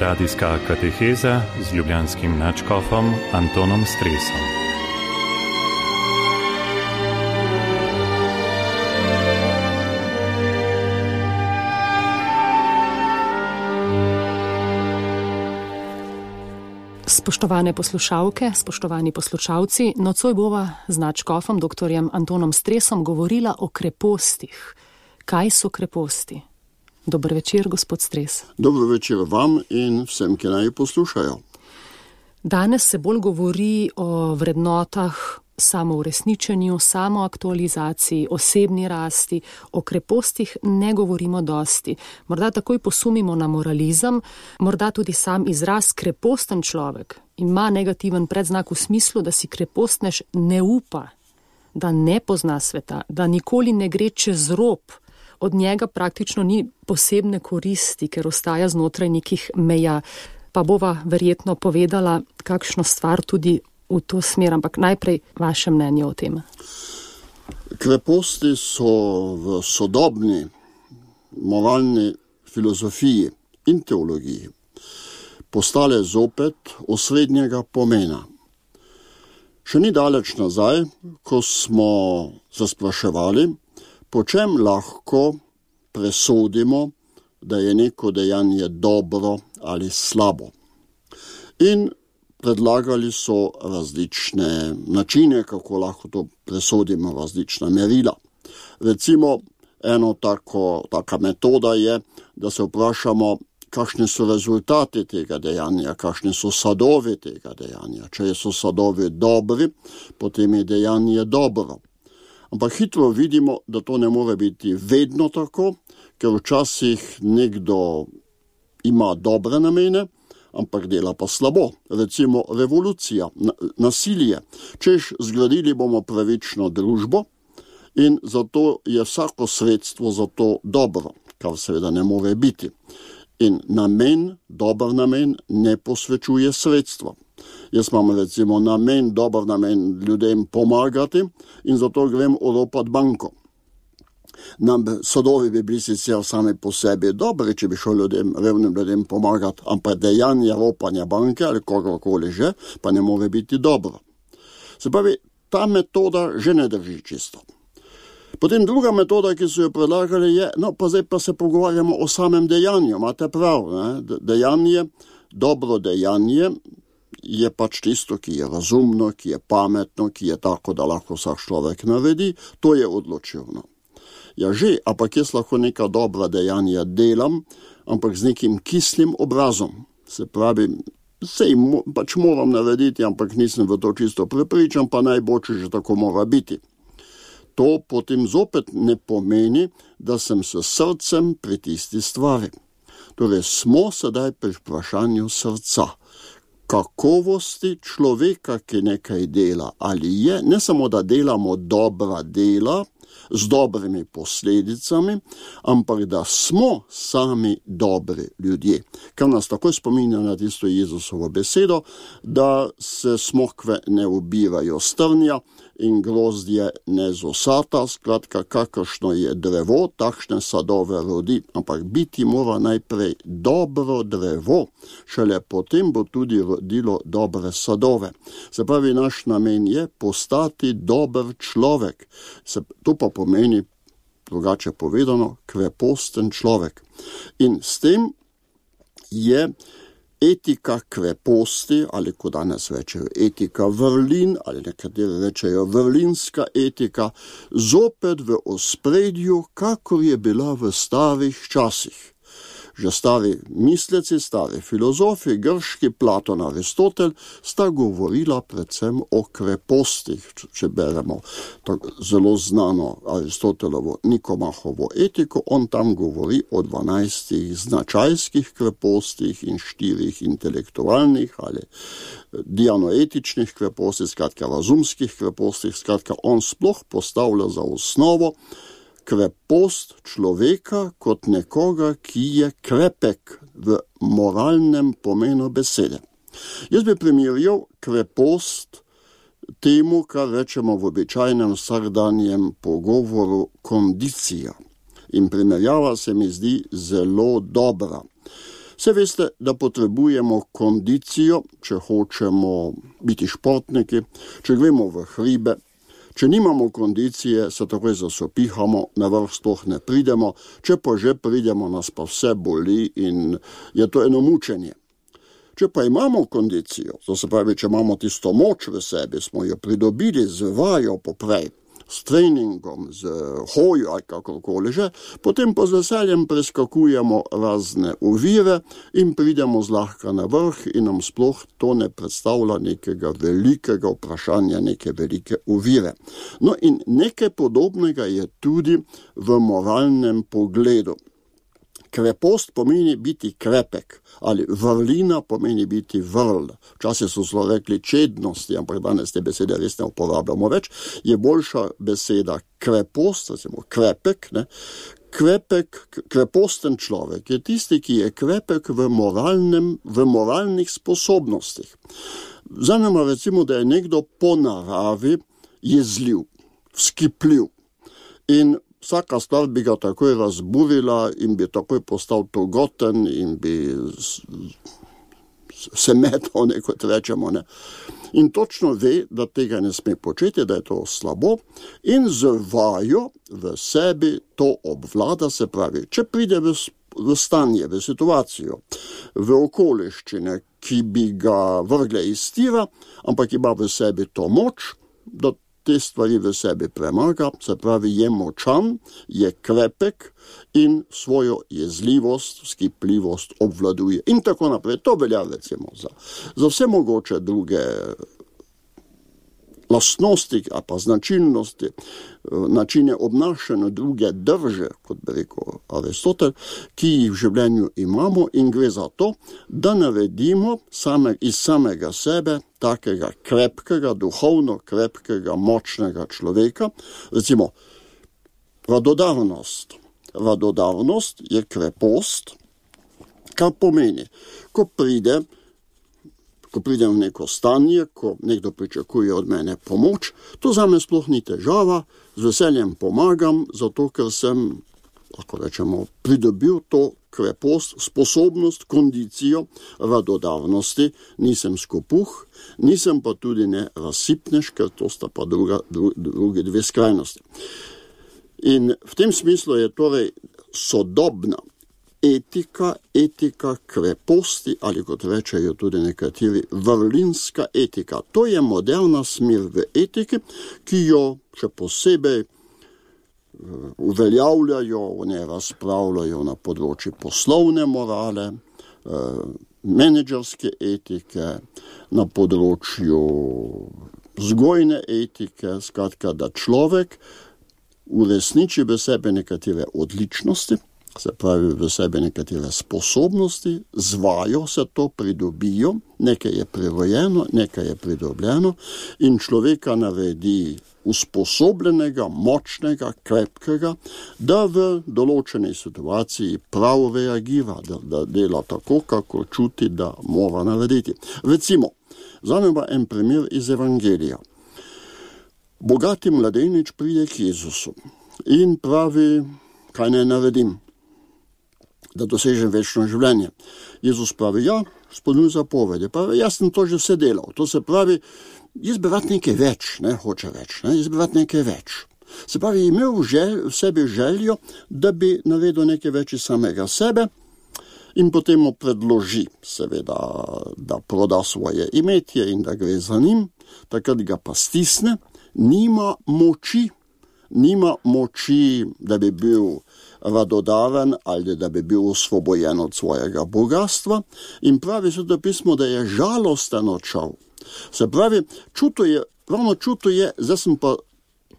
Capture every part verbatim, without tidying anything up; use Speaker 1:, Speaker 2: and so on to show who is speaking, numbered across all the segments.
Speaker 1: Radijska kateheza z ljubljanskim nadškofom Antonom Stresom.
Speaker 2: Spoštovane poslušalke, spoštovani poslušalci, nocoj bova z nadškofom doktorjem Antonom Stresom govorila o krepostih. Kaj so kreposti? Dober večer, gospod Stres.
Speaker 3: Dobro večer vam in vsem, ki naj poslušajo.
Speaker 2: Danes se bolj govori o vrednotah, samouresničenju, samoaktualizaciji, osebni rasti. O krepostih ne govorimo dosti. Morda takoj posumimo na moralizem, morda tudi sam izraz kreposten človek ima negativen predznak v smislu, da si krepostnež ne upa, da ne pozna sveta, da nikoli ne gre čez rob. Od njega praktično ni posebne koristi, ker ostaja znotraj nekih meja. Pa bova verjetno povedala kakšno stvar tudi v to smer, ampak najprej vaše mnenje o tem.
Speaker 3: Kreposti so v sodobni moralni filozofiji in teologiji postale zopet osrednjega pomena. Še ni daleč nazaj, ko smo se spraševali, po čem lahko presodimo, da je neko dejanje dobro ali slabo. In predlagali so različne načine, kako lahko to presodimo, različna merila. Recimo, eno tako, taka metoda je, da se vprašamo, kakšni so rezultati tega dejanja, kakšni so sadovi tega dejanja. Če so sadovi dobri, potem je dejanje dobro. Ampak hitro vidimo, da to ne more biti vedno tako, ker včasih nekdo ima dobre namene, ampak dela pa slabo. Recimo revolucija, nasilje. Češ zgradili bomo pravično družbo in zato je vsako sredstvo za to dobro, kar seveda ne more biti. In namen, dober namen, ne posvečuje sredstva. Jaz imam recimo namen, dober namen ljudem pomagati in zato grem oropati banko. Nam sadovi bi bili sicer sami po sebi dobri, če bi šel ljudem, revnim ljudem pomagati, ampak dejanje ropanja banke ali kogarkoli že, pa ne more biti dobro. Se pravi, ta metoda že ne drži čisto. Potem druga metoda, ki so jo predlagali, je, no pa zdaj pa se pogovarjamo o samem dejanju, imate prav, ne? Dejanje, dobro dejanje je pač tisto, ki je razumno, ki je pametno, ki je tako, da lahko vsak človek naredi, to je odločilno. Ja že, ampak jaz lahko neka dobra dejanja delam, ampak z nekim kislim obrazom. Se pravi, sej pač moram narediti, ampak nisem v to čisto prepričan, pa najboljše že tako mora biti. To potem zopet ne pomeni, da sem s srcem pri tisti stvari. Torej, smo sedaj pri vprašanju srca. Kakovosti človeka, ki nekaj dela, ali je, ne samo da delamo dobra dela, z dobrimi posledicami, ampak da smo sami dobri ljudje. Kar nas takoj spominja na tisto Jezusovo besedo, da se smokve ne ubirajo s trnja in grozdje ne z osata, skratka, kakršno je drevo, takšne sadove rodi, ampak biti mora najprej dobro drevo, šele potem bo tudi rodilo dobre sadove. Se pravi, naš namen je postati dober človek. Se, to pa pomeni, drugače povedano, kreposten človek. In s tem je etika kreposti, ali ko danes rečejo etika vrlin, ali nekateri rečejo vrlinska etika, zopet v ospredju, kakor je bila v starih časih. Že stari misleci, stari filozofi, grški, Platon, Aristotel, sta govorila predvsem o krepostih, če beremo tako zelo znano Aristotelovo Nikomahovo etiko, on tam govori o dvanajstih značajskih krepostih in štirih intelektualnih ali dianoetičnih krepostih, skratka razumskih krepostih, skratka on sploh postavlja za osnovo krepost človeka kot nekoga, ki je krepek v moralnem pomenu besede. Jaz bi primerjal krepost temu, kar rečemo v običajnem vsakdanjem pogovoru kondicija. In primerjava se mi zdi zelo dobra. Se veste, da potrebujemo kondicijo, če hočemo biti športniki, če gremo v hribe. Če nimamo kondicije, se takoj zasopihamo, na vrh sploh ne pridemo, če pa že pridemo, nas pa vse boli in je to eno mučenje. Če pa imamo kondicijo, to se pravi, če imamo tisto moč v sebi, smo jo pridobili z vajo poprej, s treningom, z hojo ali kakorkoli že, potem pa z veseljem preskakujemo razne ovire in pridemo zlahka na vrh in nam sploh to ne predstavlja nekega velikega vprašanja, neke velike ovire. No in nekaj podobnega je tudi v moralnem pogledu. Krepost pomeni biti krepek, ali vrlina pomeni biti vrl. Včasih so zelo rekli čednosti, ampak danes te besede res ne uporabljamo več. Je boljša beseda krepost, recimo krepek, ne? Krepek, kreposten človek je tisti, ki je krepek v moralnem, v moralnih sposobnostih. Zanima recimo, da je nekdo po naravi jezljiv, vzkipljiv in vsaka stvar bi ga takoj razburila in bi takoj postal togoten in bi se metal, nekot rečemo. Ne. In točno ve, da tega ne sme početi, da je to slabo in z vajo v sebi to obvlada, se pravi, če pride v, v stanje, v situacijo, v okoliščine, ki bi ga vrgle iz tira, ampak ima v sebi to moč, da te stvari v sebi premaga, se pravi, je močan, je krepek in svojo jezljivost, skipljivost obvladuje. In tako naprej. To velja recimo za, za vse mogoče druge lastnosti, a pa značilnosti, načine obnašanja druge drže, kot bi rekel Aristotel, ki jih v življenju imamo in gre za to, da naredimo same, iz samega sebe takega krepkega, duhovno krepkega, močnega človeka. Recimo, radodarnost. Radodarnost je krepost, kar pomeni, ko pride ko pridem v neko stanje, ko nekdo pričakuje od mene pomoč, to zame sploh ni težava, z veseljem pomagam, zato ker sem, lahko rečemo, pridobil to krepost, sposobnost, kondicijo radodarnosti, nisem skopuh, nisem pa tudi ne razsipnež, ker to sta pa druga, dru, druge dve skrajnosti. In v tem smislu je torej sodobna etika, etika kreposti, ali kot rečejo tudi nekateri, vrlinska etika. To je moderna smer v etiki, ki jo še posebej uveljavljajo, o njej razpravljajo na področju poslovne morale, menedžerske etike, na področju vzgojne etike, skratka, da človek uresniči v sebi nekatere odličnosti, se pravi v sebi nekatere sposobnosti, z vajo se to pridobijo, nekaj je prirojeno, nekaj je pridobljeno in človeka naredi usposobljenega, močnega, krepkega, da v določenej situaciji prav reagira, da, da dela tako, kako čuti, da mora narediti. Recimo, zanima en primer iz Evangelija. Bogati mladenič pride k Jezusu in pravi, kaj naj naredim, da dosežem večno življenje. Jezus pravi, ja, spolnuj zapovedi. Pravi, jaz sem to že vse delal. To se pravi, jaz bi rad nekaj več, ne, hoče več, ne, jaz bi rad nekaj več. Se pravi, imel žel, v sebi željo, da bi naredil nekaj več iz samega sebe in potem mu predloži, seveda, da proda svoje imetje in da gre za njim, takrat ga pa stisne, nima moči, nima moči, da bi bil radodaren ali da bi bil osvobojen od svojega bogatstva in pravi Sveto pismo, da je žalosten odšel. Se pravi, čuto je, ravno čuto je, zdaj sem pa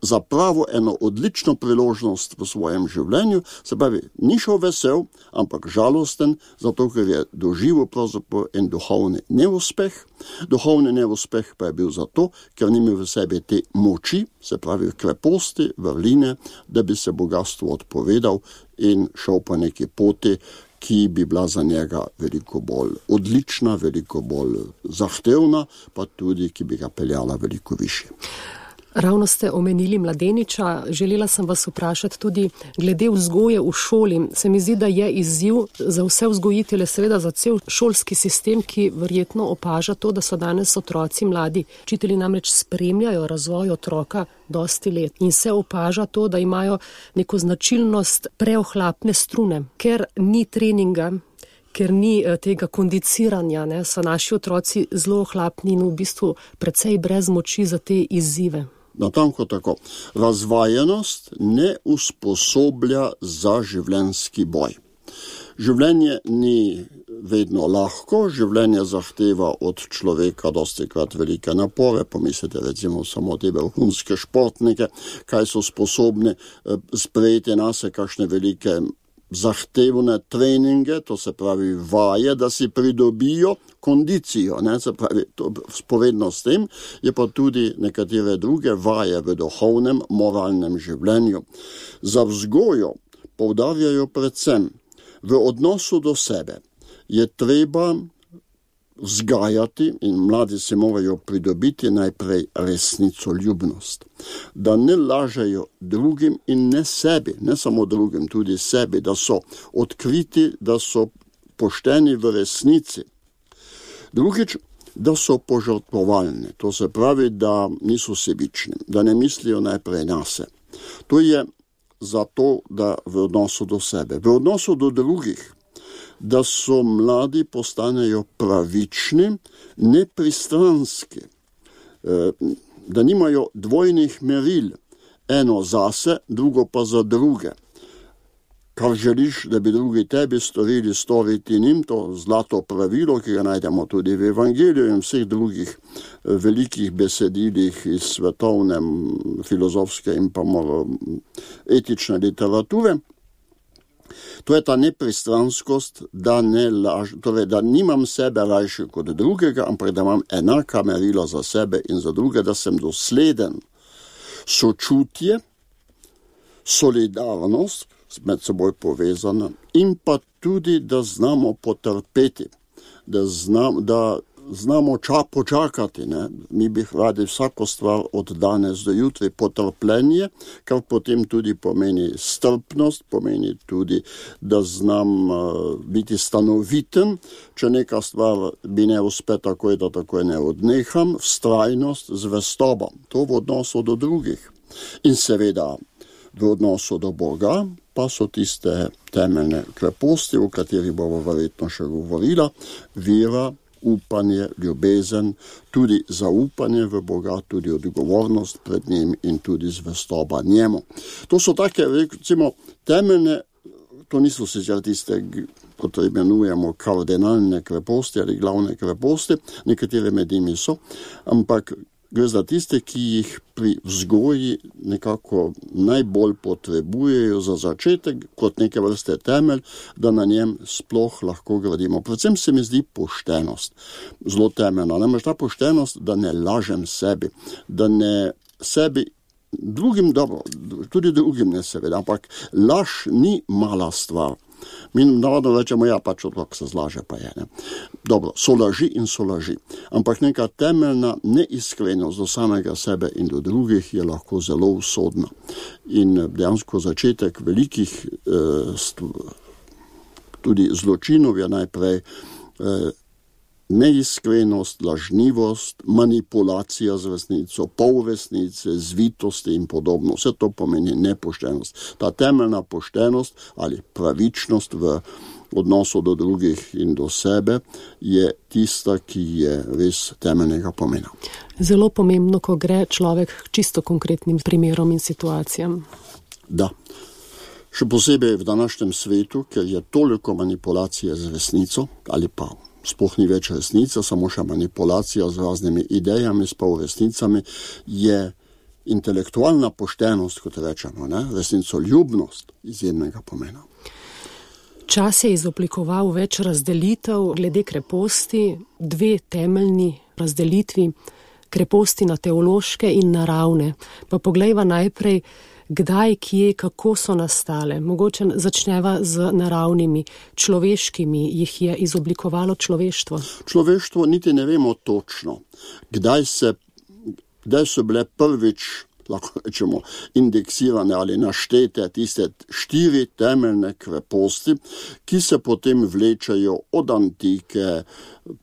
Speaker 3: zapravo eno odlično priložnost v svojem življenju, se pravi, ni šel vesel, ampak žalosten, zato ker je doživel pravzaprav en duhovni neuspeh. Duhovni neuspeh pa je bil zato, ker ni imel v sebi te moči, se pravi kreposti, vrline, da bi se bogatstvu odpovedal in šel po neki poti, ki bi bila za njega veliko bolj odlična, veliko bolj zahtevna, pa tudi, ki bi ga peljala veliko više.
Speaker 2: Ravno ste omenili mladeniča, želela sem vas vprašati tudi glede vzgoje v šoli. Se mi zdi, da je izziv za vse vzgojitelje, seveda za cel šolski sistem, ki verjetno opaža to, da so danes otroci mladi. Učitelji namreč spremljajo razvoj otroka dosti let in se opaža to, da imajo neko značilnost preohlapne strune, ker ni treninga, ker ni tega kondiciranja, ne, so naši otroci zelo ohlapni in v bistvu precej brez moči za te izzive.
Speaker 3: Natanko tako. Razvajenost ne usposoblja za življenjski boj. Življenje ni vedno lahko, življenje zahteva od človeka dostikrat velike napore. Pomislite recimo samo te vrhunske športnike, kaj so sposobni sprejeti nase, kakšne velike zahtevne treninge, to se pravi vaje, da si pridobijo kondicijo, ne, se pravi, to spovedno s tem, je pa tudi nekatere druge vaje v duhovnem, moralnem življenju. Za vzgojo poudarjajo predvsem v odnosu do sebe. Je treba vzgajati in mladi se morajo pridobiti najprej resnicoljubnost. Da ne lažejo drugim in ne sebi, ne samo drugim, tudi sebi, da so odkriti, da so pošteni v resnici. Drugič, da so požrtvovalni, to se pravi, da niso sebični, da ne mislijo najprej nase. To je zato, da v odnosu do sebe, v odnosu do drugih, da so mladi postanejo pravični, nepristranski, da nimajo dvojnih meril, eno zase, drugo pa za druge. Kar želiš, da bi drugi tebi storili, storiti njim, to zlato pravilo, ki ga najdemo tudi v Evangeliju in vseh drugih velikih besedilih iz svetovne, filozofske in pa etične literature. To je ta nepristranskost, da, ne laž, torej, da nimam sebe rajši kot drugega, ampak da imam enaka merila za sebe in za druge, da sem dosleden. Sočutje, solidarnost, med seboj povezana, in pa tudi, da znamo potrpeti, da, znam, da znamo ča, počakati. Ne? Mi bi radi vsako stvar od danes do jutri, potrpljenje, kar potem tudi pomeni strpnost, pomeni tudi, da znam uh, biti stanoviten, če neka stvar bi ne uspe takoj, da takoj ne odneham, vztrajnost, zvestoba, to v odnosu do drugih. In seveda v odnosu do Boga pa so tiste temeljne kreposti, o katerih bomo verjetno še govorila, vera, upanje, ljubezen, tudi zaupanje v Boga, tudi odgovornost pred njim in tudi zvestoba njemu. To so take, recimo, temeljne, to niso sicer tiste, kot imenujemo, kardinalne kreposti ali glavne kreposti, nekatere med njimi so, ampak gre za tiste, ki jih pri vzgoji nekako najbolj potrebujejo za začetek, kot neke vrste temelj, da na njem sploh lahko gradimo. Predvsem se mi zdi poštenost zelo temeljna. Namreč ta poštenost, da ne lažem sebi, da ne sebi, drugim dobro, tudi drugim ne seveda, ampak laž ni mala stvar. Mi navadno rečemo, ja, pač otrok se zlaže, pa je. Ne? Dobro, so laži in so laži. Ampak neka temeljna neiskrenost do samega sebe in do drugih je lahko zelo usodna. In dejansko začetek velikih eh, tudi zločinov je najprej eh, neiskrenost, lažnivost, manipulacija z resnico, polresnice, zvitosti in podobno. Vse to pomeni nepoštenost. Ta temeljna poštenost ali pravičnost v odnosu do drugih in do sebe je tista, ki je res temeljnega pomena.
Speaker 2: Zelo pomembno, ko gre človek čisto konkretnim primerom in situacijam.
Speaker 3: Da. Še posebej v današnjem svetu, ker je toliko manipulacije z resnico ali pa sploh ni več resnica, samo še manipulacija z raznimi idejami, s polresnicami, je intelektualna poštenost, kot rečemo, ne? Resnicoljubnost izjemnega pomena.
Speaker 2: Čas je izoblikoval več razdelitev glede kreposti, dve temeljni razdelitvi, kreposti na teološke in naravne. Pa poglejva najprej, kdaj, kje, kako so nastale. Mogoče začneva z naravnimi, človeškimi, jih je izoblikovalo človeštvo.
Speaker 3: Človeštvo niti ne vemo točno, kdaj se da so bile prvič, lahko rečemo, indeksirane ali naštete tiste štiri temeljne kreposti, ki se potem vlečajo od antike,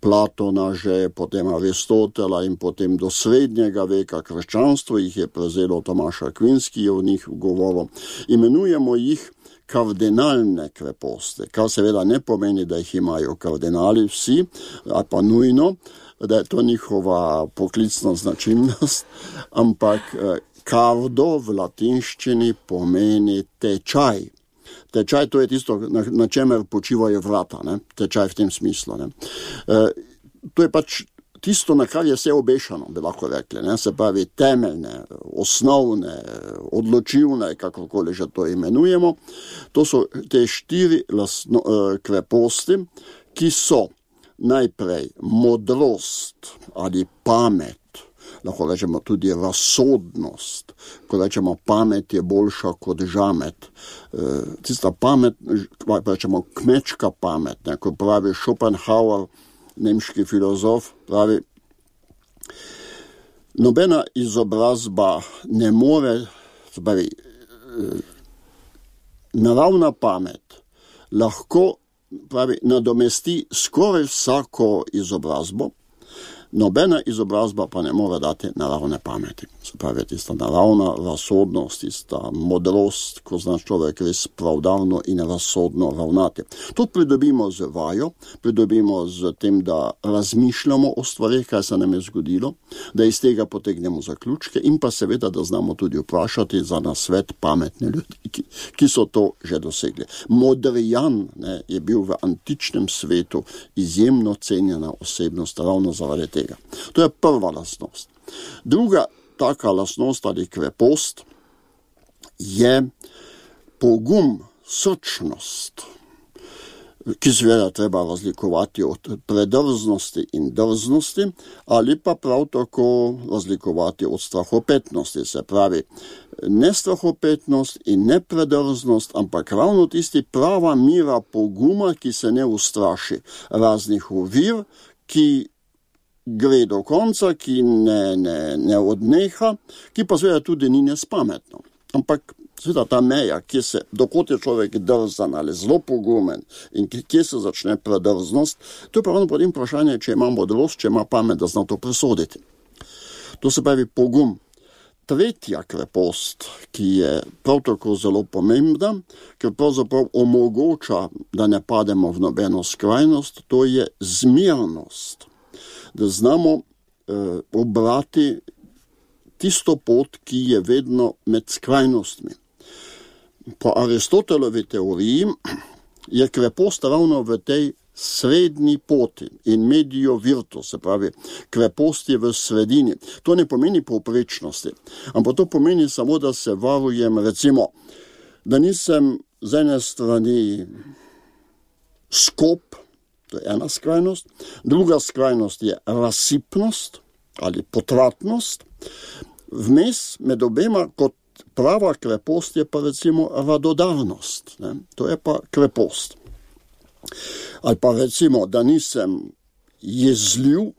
Speaker 3: Platona že, potem Aristotela in potem do srednjega veka. Krščanstvo jih je prevzelo, Tomaš Akvinski je o njih govoril. Imenujemo jih kardinalne kreposti, kar seveda ne pomeni, da jih imajo kardinali vsi, ali pa nujno, da je to njihova poklicna značilnost, ampak kardo v latinščini pomeni tečaj. Tečaj, to je tisto, na, na čemer počivajo vrata, ne? Tečaj v tem smislu. Ne? E, to je pač tisto, na kar je vse obešano, bi lahko rekli, ne? Se pravi temeljne, osnovne, odločilne, kakorkoli že to imenujemo. To so te štiri lasno, e, kreposti, ki so najprej modrost ali pamet, lahko rečemo tudi razsodnost, ko rečemo pamet je boljša kot žamet. E, tista pamet, rečemo kmečka pamet, ne, ko pravi Schopenhauer, nemški filozof, pravi, nobena izobrazba ne more, pravi, naravna pamet lahko, pravi, nadomesti skoraj vsako izobrazbo, nobena izobrazba pa ne more dati naravne pameti. Se pravi, tista naravna razsodnost, tista modrost, ko zna človek res pravdavno in razsodno ravnati. To pridobimo z vajo, pridobimo z tem, da razmišljamo o stvarih, kaj se nam je zgodilo, da iz tega potegnemo zaključke in pa seveda, da znamo tudi vprašati za nasvet pametne ljudi, ki, ki so to že dosegli. Modrijan, ne, je bil v antičnem svetu izjemno cenjena osebnost ravno zaradi tega. To je prva lastnost. Druga taka lastnost ali krepost je pogum, srčnost, ki seveda treba razlikovati od predrznosti in drznosti, ali pa prav tako razlikovati od strahopetnosti. Se pravi, ne strahopetnost in ne predrznost, ampak ravno tisti prava mira poguma, ki se ne ustraši raznih ovir, ki gre do konca, ki ne, ne, ne odneha, ki pa seveda tudi ni nespametno. Ampak seveda ta meja, kje se, dokot je človek drzan ali zelo pogumen in kje se začne predrznost, to je pravno potem vprašanje, če ima modrost, če ima pamet, da zna to presoditi. To se pravi pogum. Tretja krepost, ki je prav tako zelo pomembna, ker pravzaprav omogoča, da ne pademo v nobeno skrajnost, to je zmernost. Da znamo eh, obrati tisto pot, ki je vedno med skrajnostmi. Po Aristotelovi teoriji je krepost ravno v tej srednji poti in medio virtus, se pravi, krepost je v sredini. To ne pomeni povprečnosti, ampak to pomeni samo, da se varujem, recimo, da nisem z ene strani skop, to je ena skrajnost, druga skrajnost je razsipnost ali potratnost, vmes med obema kot prava krepost je pa recimo radodarnost, ne? To je pa krepost. Ali pa recimo, da nisem jezljiv,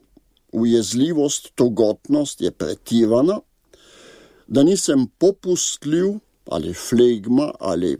Speaker 3: ujezljivost, togotnost je pretirana, da nisem popustljiv ali flegma ali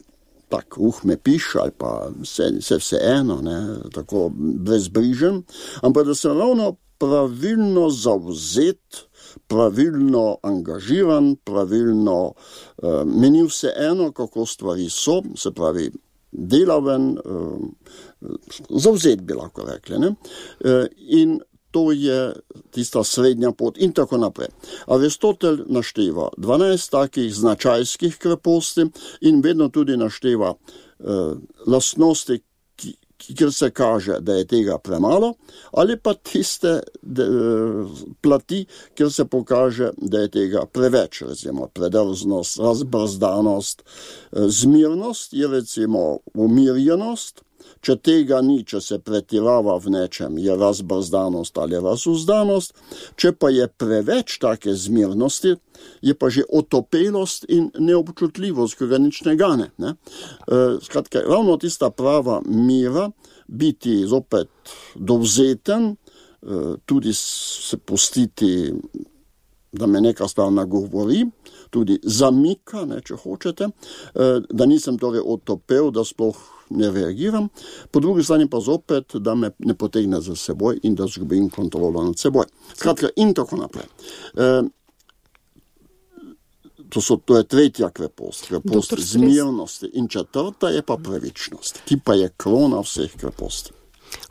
Speaker 3: tak, uh, me piše, ali pa se, se vse eno, ne, tako brezbrižen, ampak da sem ravno pravilno zavzet, pravilno angažiran, pravilno, uh, meni vse eno, kako stvari so, se pravi, delaven, uh, zavzet bi lahko rekli, ne, uh, in to je tista srednja pot in tako naprej. Aristotel našteva dvanajst takih značajskih kreposti in vedno tudi našteva eh, lastnosti, ki, kjer se kaže, da je tega premalo, ali pa tiste de, plati, kjer se pokaže, da je tega preveč, recimo predrznost, razbrzdanost, eh, zmirnost je recimo umirjenost. Če tega ni, če se pretirava v nečem, je razbrzdanost ali razuzdanost, če pa je preveč take zmirnosti, je pa že otopelost in neobčutljivost, ki ga nič ne gane. Ne? E, skratka, ravno tista prava mira, biti zopet dovzeten, e, tudi se pustiti da me neka stvar nagovori, tudi zamika, ne, če hočete, da nisem torej otopel, da sploh ne reagiram, po drugi strani pa zopet, da me ne potegne za seboj in da zgubim kontrolo nad seboj. Skratka, in tako naprej. E, to, so, to je tretja krepost, krepost zmirnosti. In četrta je pa pravičnost, ki pa je krona vseh kreposti.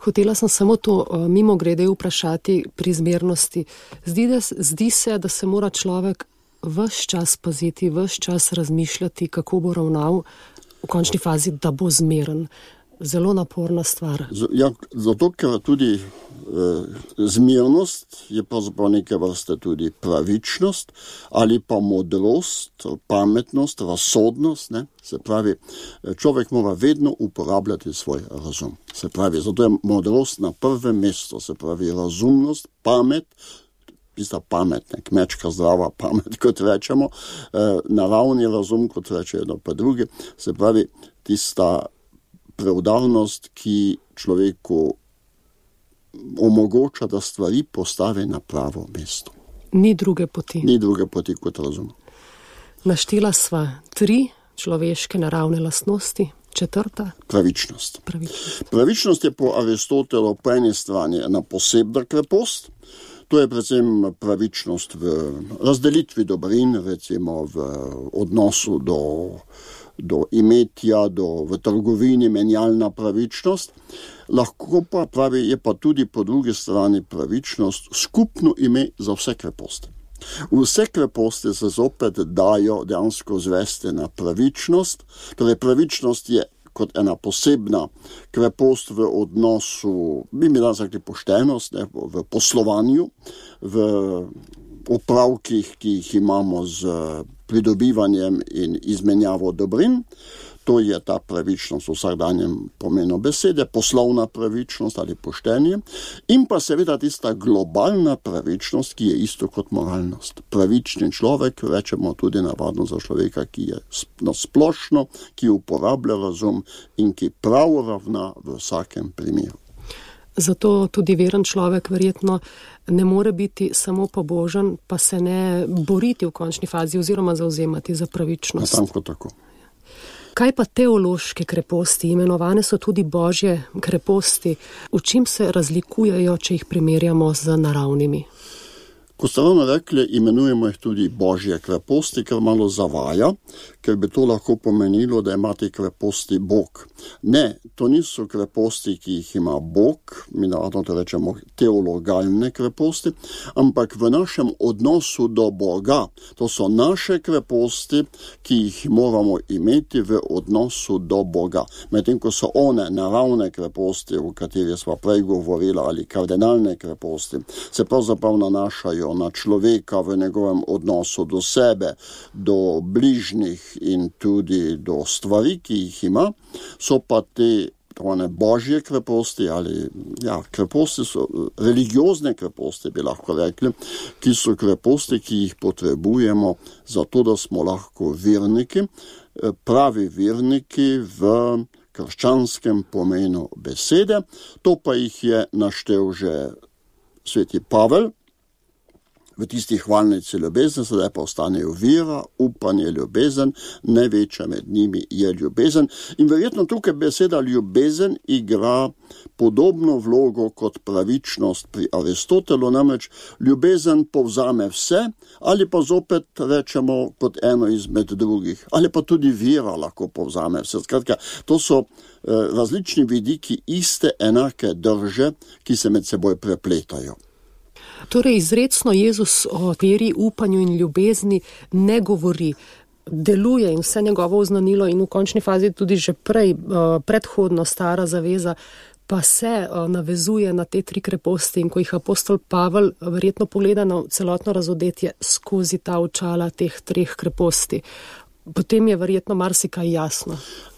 Speaker 2: Hotela sem samo to mimo grede vprašati pri zmernosti. Zdi, da, zdi se, da se mora človek ves čas paziti, ves čas razmišljati, kako bo ravnal v končni fazi, da bo zmeren. Zelo naporna stvar. Z,
Speaker 3: ja, zato, ker tudi e, zmernost je pravzaprav neke vrste tudi pravičnost ali pa modrost, pametnost, razsodnost. Ne? Se pravi, človek mora vedno uporabljati svoj razum. Se pravi, zato je modrost na prvem mestu. Se pravi, razumnost, pamet, tista pamet, ne, kmečka zdrava pamet, kot rečemo, e, naravni razum, kot rečejo pa drugi, se pravi, tista preudarnost, ki človeku omogoča, da stvari postavi na pravo mesto.
Speaker 2: Ni druge poti.
Speaker 3: Ni druge poti kot razum.
Speaker 2: Naštela sva tri človeške naravne lastnosti, četrta?
Speaker 3: Pravičnost.
Speaker 2: Pravičnost.
Speaker 3: Pravičnost je po Aristotelu po eni strani ena posebna krepost. To je predvsem pravičnost v razdelitvi dobrin, recimo v odnosu do, do imetja, do, v trgovini, menjalna pravičnost. Lahko pa, pravi, je pa tudi po drugi strani pravičnost skupno ime za vse kreposti. Vse kreposti se zopet dajo dejansko zvesti na pravičnost. Torej, pravičnost je kot ena posebna krepost v odnosu, bi mi danes rekli poštenost, ne, v poslovanju, v opravkih, ki jih imamo z pridobivanjem in izmenjavo dobrin. To je ta pravičnost v vsakdanjem pomenu besede, poslovna pravičnost ali poštenje, in pa seveda tista globalna pravičnost, ki je isto kot moralnost. Pravični človek, rečemo tudi navadno za človeka, ki je nasplošno, ki uporablja razum in ki prav ravna v vsakem primeru.
Speaker 2: Zato tudi veren človek verjetno ne more biti samo pobožen, pa se ne boriti v končni fazi oziroma zauzemati za pravičnost.
Speaker 3: Natanko tako.
Speaker 2: Kaj pa teološke kreposti? Imenovane so tudi božje kreposti. V čem se razlikujejo, če jih primerjamo z naravnimi?
Speaker 3: Ko ste ravno rekli, imenujemo jih tudi božje kreposti, ker malo zavaja, ker bi to lahko pomenilo, da ima te kreposti Bog. Ne, to niso kreposti, ki jih ima Bog, mi navadno to rečemo teologalne kreposti, ampak v našem odnosu do Boga. To so naše kreposti, ki jih moramo imeti v odnosu do Boga. Medtem ko so one naravne kreposti, o katerih smo prej govorili, ali kardinalne kreposti, se pravzaprav nanašajo na človeka v njegovem odnosu do sebe, do bližnjih in tudi do stvari, ki jih ima, so pa te one božje kreposti ali ja, kreposti so, religiozne kreposti bi lahko rekli, ki so kreposti, ki jih potrebujemo zato, da smo lahko verniki, pravi verniki v krščanskem pomenu besede. To pa jih je naštel že sveti Pavel v tisti hvalnici ljubezni, sedaj pa ostanejo vera, upanje, ljubezen, največja med njimi je ljubezen. In verjetno tukaj beseda ljubezen igra podobno vlogo kot pravičnost pri Aristotelu, namreč ljubezen povzame vse, ali pa zopet rečemo kot eno izmed drugih, ali pa tudi vera lahko povzame vse. Skratka, to so eh, različni vidiki iste enake drže, ki se med seboj prepletajo.
Speaker 2: Torej, izrecno Jezus o veri, upanju in ljubezni ne govori, deluje in vse njegovo oznanilo in v končni fazi tudi že prej, predhodno stara zaveza, pa se navezuje na te tri kreposti in ko jih apostol Pavel verjetno pogleda na celotno razodetje skozi ta očala teh treh kreposti, potem je verjetno marsikaj jasno.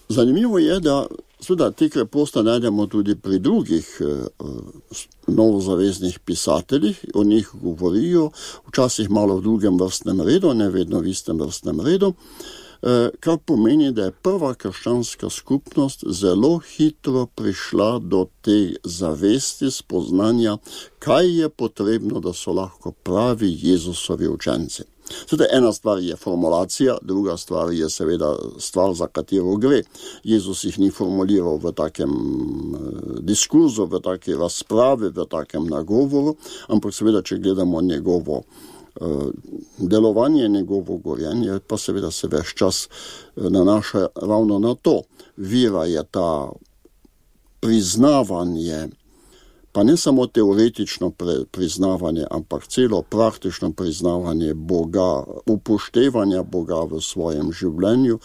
Speaker 3: Zanimivo je, da seveda te kreposti najdemo tudi pri drugih eh, novozaveznih pisateljih, o njih govorijo, včasih malo v drugem vrstnem redu, ne vedno v istem vrstnem redu. kar pomeni, da je prva krščanska skupnost zelo hitro prišla do te zavesti, spoznanja, kaj je potrebno, da so lahko pravi Jezusovi učenci. Tudi ena stvar je formulacija, druga stvar je seveda stvar, za katero gre. Jezus jih ni formuliral v takem diskurzu, v taki razpravi, v takem nagovoru, ampak seveda, če gledamo njegovo delovanje, njegovo gorjenje, pa seveda se ves čas nanaša ravno na to. Vira je ta priznavanje, pa ne samo teoretično priznavanje, ampak celo praktično priznavanje Boga, upoštevanja Boga v svojem življenju.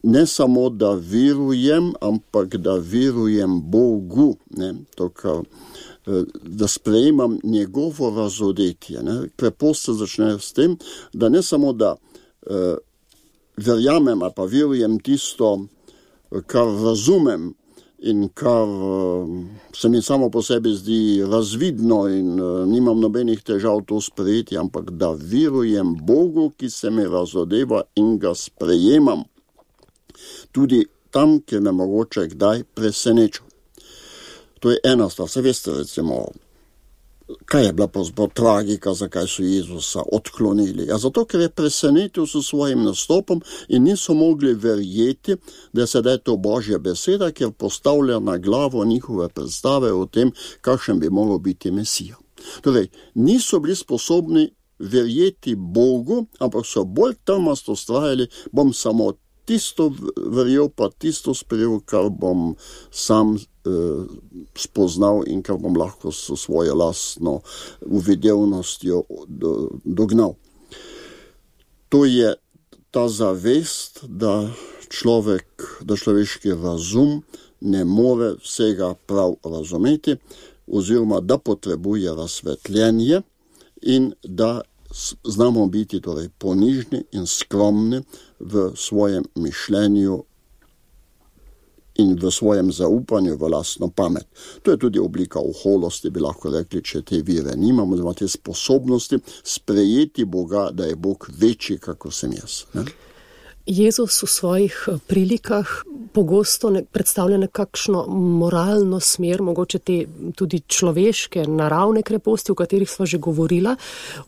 Speaker 3: Ne samo, da verujem, ampak da verujem Bogu, ne, to, kar, da sprejemam njegovo razodetje. Ne. Preprosto se začne s tem, da ne samo, da eh, verjamem, ali pa verujem tisto, kar razumem, in kar se mi samo po sebi zdi razvidno in nimam nobenih težav to sprejeti, ampak da verujem Bogu, ki se mi razodeva in ga sprejemam. Tudi tam, kjer me mogoče kdaj preseneča. To je ena stvar. Se veste, recimo, kaj je bila pravzaprav tragika, zakaj so Jezusa odklonili? Ja, zato, ker je presenetil s svojim nastopom in niso mogli verjeti, da je sedaj to Božja beseda, ker postavlja na glavo njihove predstave o tem, kakšen bi moral biti Mesija. Torej, niso bili sposobni verjeti Bogu, ampak so bolj trmasto vztrajali, bom samo tisto verjel, pa tisto sprejel, kar bom sam eh, spoznal in kar bom lahko s svojo lastno uvidevnostjo do, dognal. To je ta zavest, da človek, da človeški razum ne more vsega prav razumeti, oziroma da potrebuje razsvetljenje in da znamo biti torej ponižni in skromni v svojem mišljenju in v svojem zaupanju v lastno pamet. To je tudi oblika oholosti, bi lahko rekli, če te vire nimamo, oziroma te sposobnosti sprejeti Boga, da je Bog večji, kako sem jaz. Ne?
Speaker 2: Jezus v svojih prilikah pogosto ne, predstavlja nekakšno moralno smer, mogoče te tudi človeške, naravne kreposti, o katerih sva že govorila.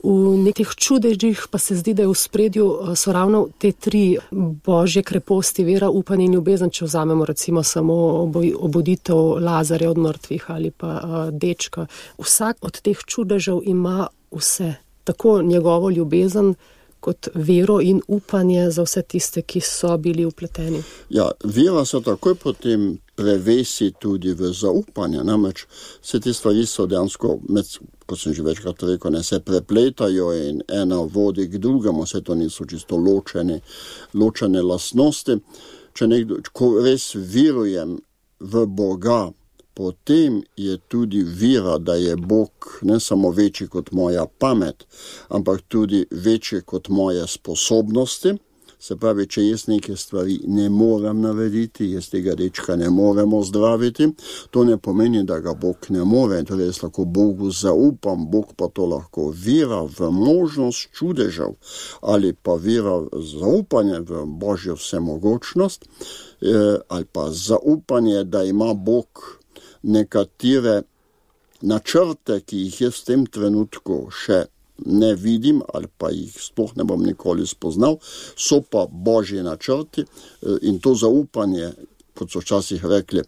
Speaker 2: V nekih čudežih pa se zdi, da je v spredju so ravno te tri božje kreposti, vera, upanje in ljubezen, če vzamemo recimo samo obuditev Lazarja od mrtvih ali pa uh, dečka. Vsak od teh čudežev ima vse, tako njegovo ljubezen, kot vero in upanje za vse tiste, ki so bili vpleteni.
Speaker 3: Ja, vera se takoj potem prevesi tudi v zaupanje, namreč vse te stvari so dejansko, med, kot sem že večkrat rekel, ne, se prepletajo in ena vodi k drugemu, vse to niso čisto ločene, ločene lastnosti. Če nekdo, ko res verujem v Boga, potem je tudi vera, da je Bog ne samo večji kot moja pamet, ampak tudi večji kot moje sposobnosti. Se pravi, če jaz neke stvari ne morem narediti, jaz tega dečka ne morem ozdraviti, to ne pomeni, da ga Bog ne more. Torej, jaz lahko Bogu zaupam, Bog pa to lahko vera v možnost čudežev ali pa vera zaupanje v Božjo vsemogočnost ali pa zaupanje, da ima Bog nekatere načrte, ki jih jaz v tem trenutku še ne vidim ali pa jih sploh ne bom nikoli spoznal, so pa Božji načrti in to zaupanje, kot so včasih rekli,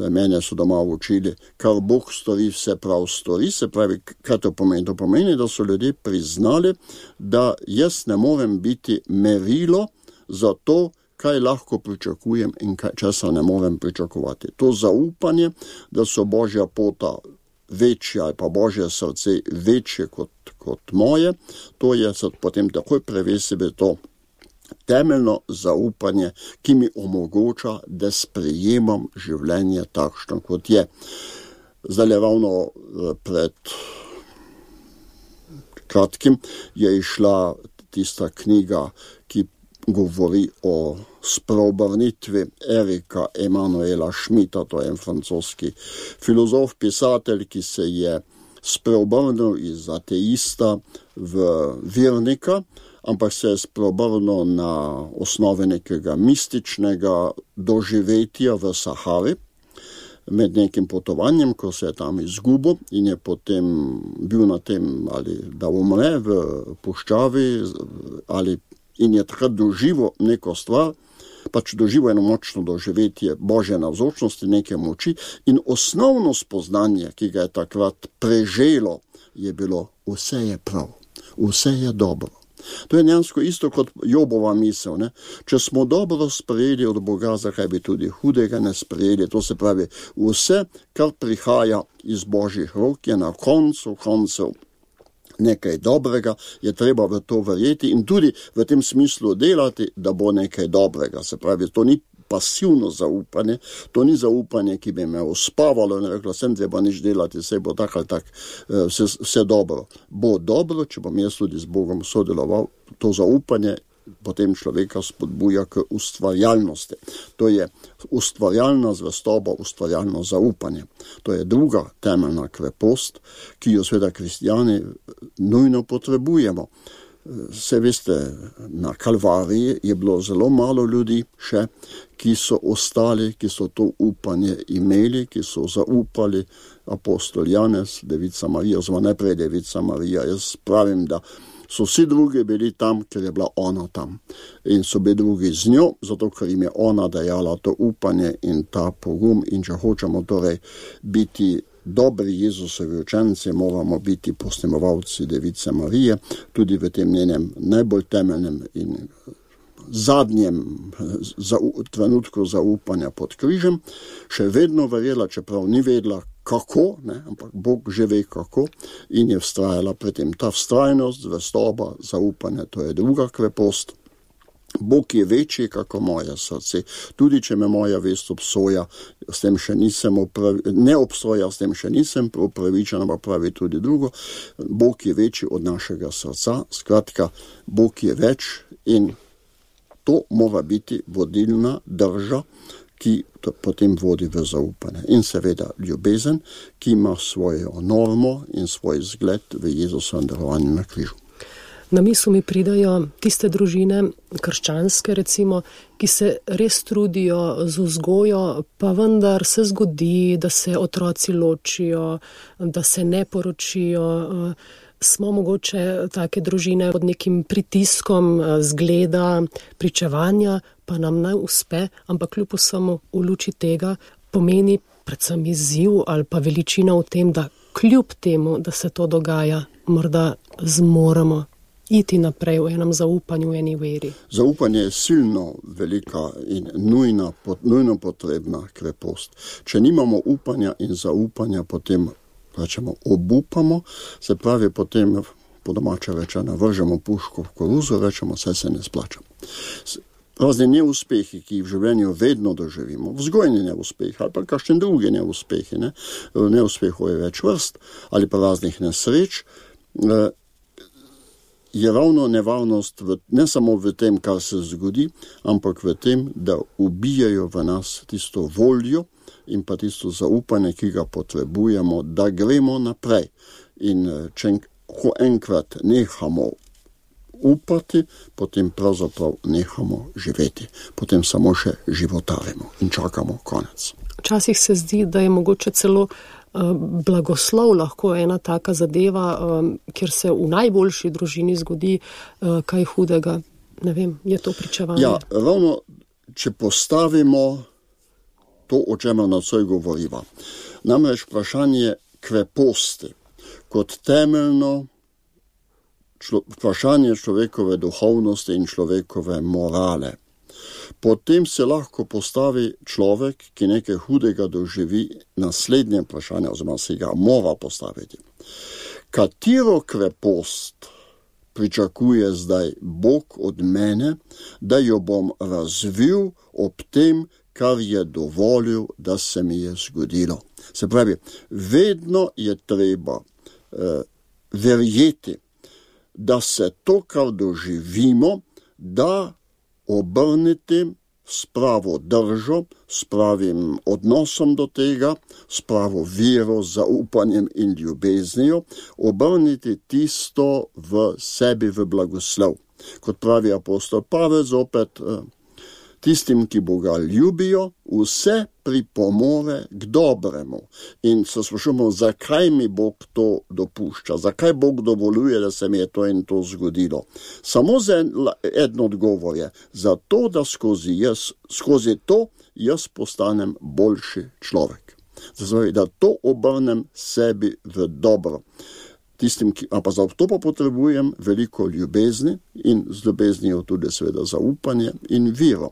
Speaker 3: mene so doma učili, kar Bog stori, vse prav stori. Se pravi, kaj to pomeni? To pomeni, da so ljudje priznali, da jaz ne morem biti merilo za to, kaj lahko pričakujem in kaj, česa ne morem pričakovati. To zaupanje, da so Božja pota večja ali pa Božje srce večje kot, kot moje, to je se potem takoj prevesi v to temeljno zaupanje, ki mi omogoča, da sprejemam življenje takšno, kot je. Zdaj ravno pred kratkim je išla tista knjiga, ki govori o spreobrnitvi Erika Emanuela Schmidta, to je en francoski filozof, pisatelj, ki se je spreobrnil iz ateista v vernika, ampak se je spreobrnil na osnovi nekega mističnega doživetja v Sahari, med nekim potovanjem, ko se je tam izgubil in je potem bil na tem, ali da umre v puščavi, ali in je takrat doživel neko stvar, pač doživel eno močno doživetje Božje navzočnosti, neke moči in osnovno spoznanje, ki ga je takrat preželo, je bilo vse je prav, vse je dobro. To je njansko isto kot Jobova misel. Ne? Če smo dobro sprejeli od Boga, zakaj bi tudi hudega ne sprejeli? To se pravi, vse, kar prihaja iz Božjih rok, je na koncu koncev nekaj dobrega, je treba v to verjeti in tudi v tem smislu delati, da bo nekaj dobrega. Se pravi, to ni pasivno zaupanje, to ni zaupanje, ki bi me uspavalo in rekla, sem treba nič delati, vse bo tak ali tak, vse, vse dobro. Bo dobro, če bom jaz tudi z Bogom sodeloval, to zaupanje potem človeka spodbuja k ustvarjalnosti. To je ustvarjalna zvestoba, ustvarjalno zaupanje. To je druga temeljna krepost, ki jo seveda kristjani nujno potrebujemo. Se veste, na Kalvariji je bilo zelo malo ljudi še, ki so ostali, ki so to upanje imeli, ki so zaupali apostol Janez, Devica Marija, oziroma najprej Devica Marija. Jaz pravim, da so vsi drugi bili tam, ker je bila ona tam. In so bili drugi z njo, zato ker jim je ona dajala to upanje in ta pogum. In če hočemo torej biti dobri Jezusovi učenci, moramo biti posnemovalci Device Marije, tudi v tem njenem najbolj temeljnem in zadnjem za, trenutku zaupanja pod križem, še vedno verjela, čeprav ni vedela kako, ne, ampak Bog že ve kako in je vztrajala pri tem. Ta vztrajnost, zvestoba, zaupanje, to je druga krepost. Bog je večji kako moje srce. Tudi če me moja vest obsoja, s tem še nisem upravi, ne obsoja, s tem še nisem upravičen, ampak pravi tudi drugo. Bog je večji od našega srca. Skratka, Bog je več in to mora biti vodilna drža, ki potem vodi v zaupanje. In seveda ljubezen, ki ima svojo normo in svoj zgled v Jezusovem darovanju na križu.
Speaker 2: Na misel mi pridajo tiste družine, krščanske recimo, ki se res trudijo z vzgojo, pa vendar se zgodi, da se otroci ločijo, da se ne poročijo. Smo mogoče take družine pod nekim pritiskom zgleda, pričevanja, pa nam ne uspe, ampak kljub vsemu v luči tega pomeni predvsem izziv ali pa veličina v tem, da kljub temu, da se to dogaja, morda zmoremo iti naprej v enem zaupanju, v eni veri.
Speaker 3: Zaupanje je silno velika in nujna, nujno potrebna krepost. Če nimamo upanja in zaupanja, potem rečemo, obupamo, se pravi potem po domače rečeno vržemo puško v koruzo, rečemo, vse se ne splača. Razni neuspehi, ki jih v življenju vedno doživimo, vzgojni neuspehi ali pa kakšen drugi neuspehi, ne? Neuspehov je več vrst ali pa raznih nesreč, je ravno nevarnost v, ne samo v tem, kar se zgodi, ampak v tem, da ubijajo v nas tisto voljo in pa tisto zaupanje, ki ga potrebujemo, da gremo naprej. In če ko enkrat nehamo upati, potem pravzaprav nehamo živeti. Potem samo še životarimo in čakamo konec.
Speaker 2: Včasih se zdi, da je mogoče celo blagoslov lahko ena taka zadeva, kjer se v najboljši družini zgodi kaj hudega. Ne vem, je to pričevanje?
Speaker 3: Ja, ravno, če postavimo to, o čemer nocoj govoriva. Namreč vprašanje kreposti kot temeljno člo, vprašanje človekove duhovnosti in človekove morale. Potem se lahko postavi človek, ki nekaj hudega doživi, naslednje vprašanje, oziroma se ga mora postaviti. Katero krepost pričakuje zdaj Bog od mene, da jo bom razvil ob tem, kar je dovolil, da se mi je zgodilo. Se pravi, vedno je treba eh, verjeti, da se to, kar doživimo, da obrniti s pravo držo, s pravim odnosom do tega, s pravo vero, zaupanjem in ljubeznijo, obrniti tisto v sebi v blagoslov. Kot pravi apostol Pavel zopet, tistim, ki Boga ljubijo, vse pripomore k dobremu. In se sprašujemo, zakaj mi Bog to dopušča, zakaj Bog dovoljuje, da se mi je to in to zgodilo. Samo za en odgovor je, zato, da skozi, jaz, skozi to jaz postanem boljši človek. Zato, da to obrnem sebi v dobro. Tistim, ki, a pa za to pa potrebujem veliko ljubezni in z ljubeznijo tudi seveda zaupanje in vero.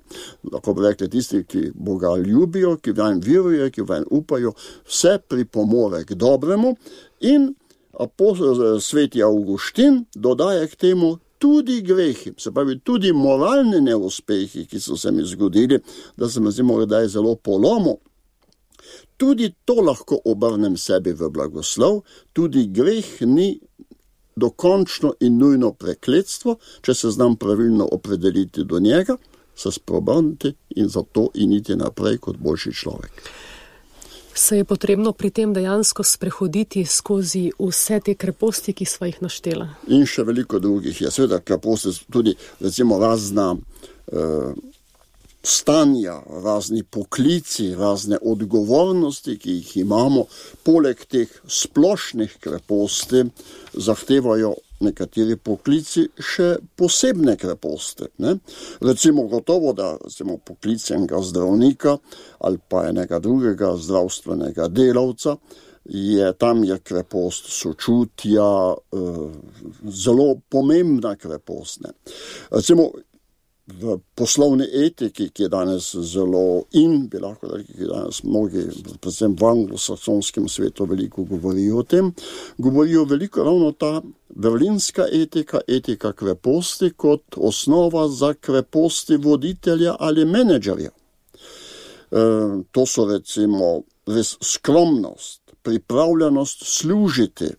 Speaker 3: Lahko bi rekli, tisti, ki Boga ljubijo, ki vanj verujejo, ki vanj upajo, vse pripomore k dobremu in apostol sveti Avguštin dodaja k temu tudi grehi, se pravi tudi moralni neuspehi, ki so se mi zgodili, da sem zdi morda zelo polomil. Tudi to lahko obrnem sebi v blagoslov, tudi greh ni dokončno in nujno prekletstvo, če se znam pravilno opredeliti do njega, se spreobrniti in zato in iti naprej kot boljši človek.
Speaker 2: Se je potrebno pri tem dejansko sprehoditi skozi vse te kreposti, ki sva jih naštela?
Speaker 3: In še veliko drugih je. Seveda kreposti tudi recimo razna uh, stanja, razni poklici, razne odgovornosti, ki jih imamo, poleg teh splošnih kreposti zahtevajo nekateri poklici še posebne kreposti. Ne? Recimo gotovo, da recimo poklic enega zdravnika ali pa enega drugega zdravstvenega delavca, je, tam je krepost sočutja eh, zelo pomembna krepost. Ne? Recimo v poslovni etiki, ki je danes zelo in, bi lahko rekli, ki danes mnogi, predvsem v anglosaksonskem svetu, veliko govorijo o tem, govorijo veliko ravno ta berlinska etika, etika kreposti kot osnova za kreposti voditelja ali menedžerja. E, to so recimo res skromnost, pripravljenost služiti,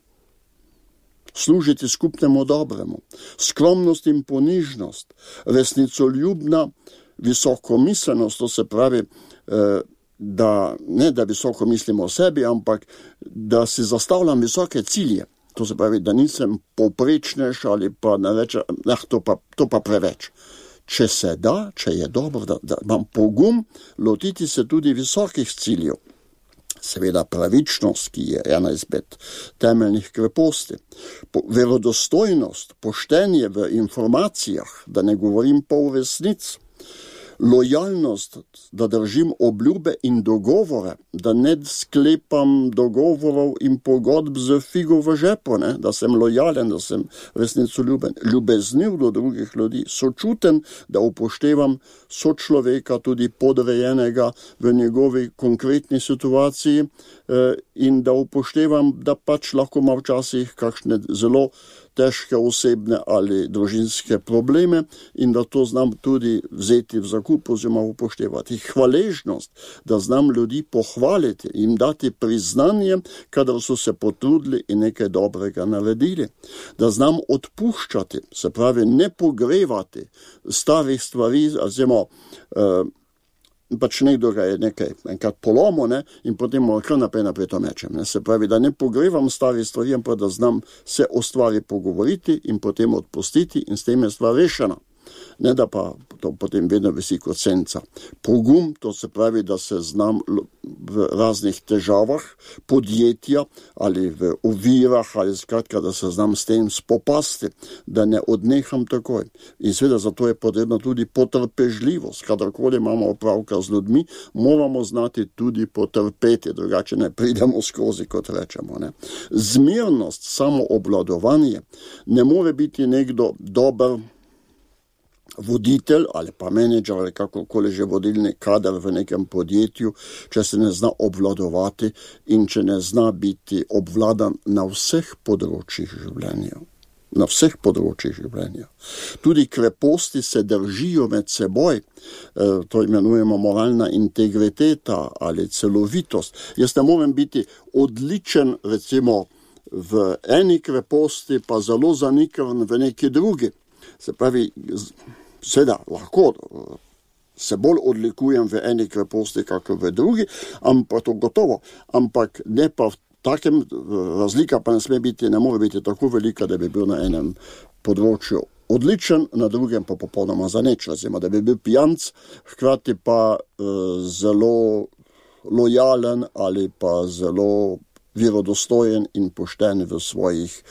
Speaker 3: služiti skupnemu dobremu, skromnost in ponižnost, resnicoljubna visokomiselnost, to se pravi, da ne da visoko mislimo o sebi, ampak da si zastavljam visoke cilje. To se pravi, da nisem povprečnež ali pa ne reče, eh, to pa, to pa preveč. Če se da, če je dobro, da, da imam pogum lotiti se tudi visokih ciljev. Seveda pravičnost, ki je ena izmed temeljnih kreposti. Po, verodostojnost, poštenje v informacijah, da ne govorim pol resnic. Lojalnost, da držim obljube in dogovore, da ne sklepam dogovorov in pogodb z figo v žepu, ne? Da sem lojalen, da sem resnicoljuben, ljubezniv do drugih ljudi, sočuten, da upoštevam sočloveka, tudi podrejenega v njegovi konkretni situaciji eh, in da upoštevam, da pač lahko ima včasih kakšne zelo težke osebne ali družinske probleme in da to znam tudi vzeti v zakup oziroma upoštevati. Hvaležnost, da znam ljudi pohvaliti, jim dati priznanje, kadar so se potrudili in nekaj dobrega naredili. Da znam odpuščati, se pravi ne pogrevati starih stvari, oziroma uh, pač nekdo ga je nekaj enkrat polomo, ne, in potem mora kar naprej naprej to mečem. Ne. Se pravi, da ne pogrevam stvari stvari, ampak da znam se o stvari pogovoriti in potem odpustiti in s tem je stvar rešena. Ne da pa to potem vedno visi kot senca. Pogum, to se pravi, da se znam v raznih težavah podjetja ali v ovirah ali skratka, da se znam s tem spopasti, da ne odneham takoj. In seveda zato je potrebna tudi potrpežljivost. Kadarkoli imamo opravka z ljudmi, moramo znati tudi potrpeti, drugače ne pridemo skozi, kot rečemo. Ne. Zmirnost, samoobvladovanje, ne more biti nekdo dober voditelj ali pa menedžer ali kakokoli že vodilni kader v nekem podjetju, če se ne zna obvladovati in če ne zna biti obvladan na vseh področjih življenja. Na vseh področjih življenja. Tudi kreposti se držijo med seboj, to imenujemo moralna integriteta ali celovitost. Jaz ne morem biti odličen recimo v eni kreposti, pa zelo zanikran v neki drugi. Se pravi, seveda lahko se bolj odlikujem v eni kreposti, kako v drugi, ampak to gotovo, ampak ne pa v takem, razlika pa ne sme biti, ne more biti tako velika, da bi bil na enem področju odličen, na drugem pa popolnoma zaneč. Recimo, da bi bil pijanc, hkrati pa uh, zelo lojalen ali pa zelo verodostojen in pošten v svojih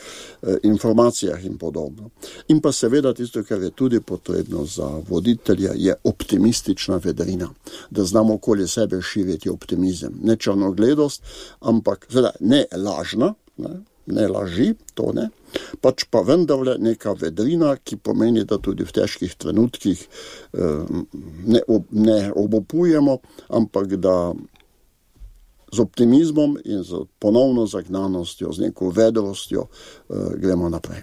Speaker 3: eh, informacijah in podobno. In pa seveda tisto, kar je tudi potrebno za voditelja, je optimistična vedrina, da znamo okoli sebe širiti optimizem. Ne črnogledost, ampak seveda ne lažna, ne, ne laži, to ne, pač pa vendarle neka vedrina, ki pomeni, da tudi v težkih trenutkih eh, ne, ob, ne obopujemo, ampak da z optimizmom in z ponovno zagnanostjo, z neko vedrostjo eh, gremo naprej.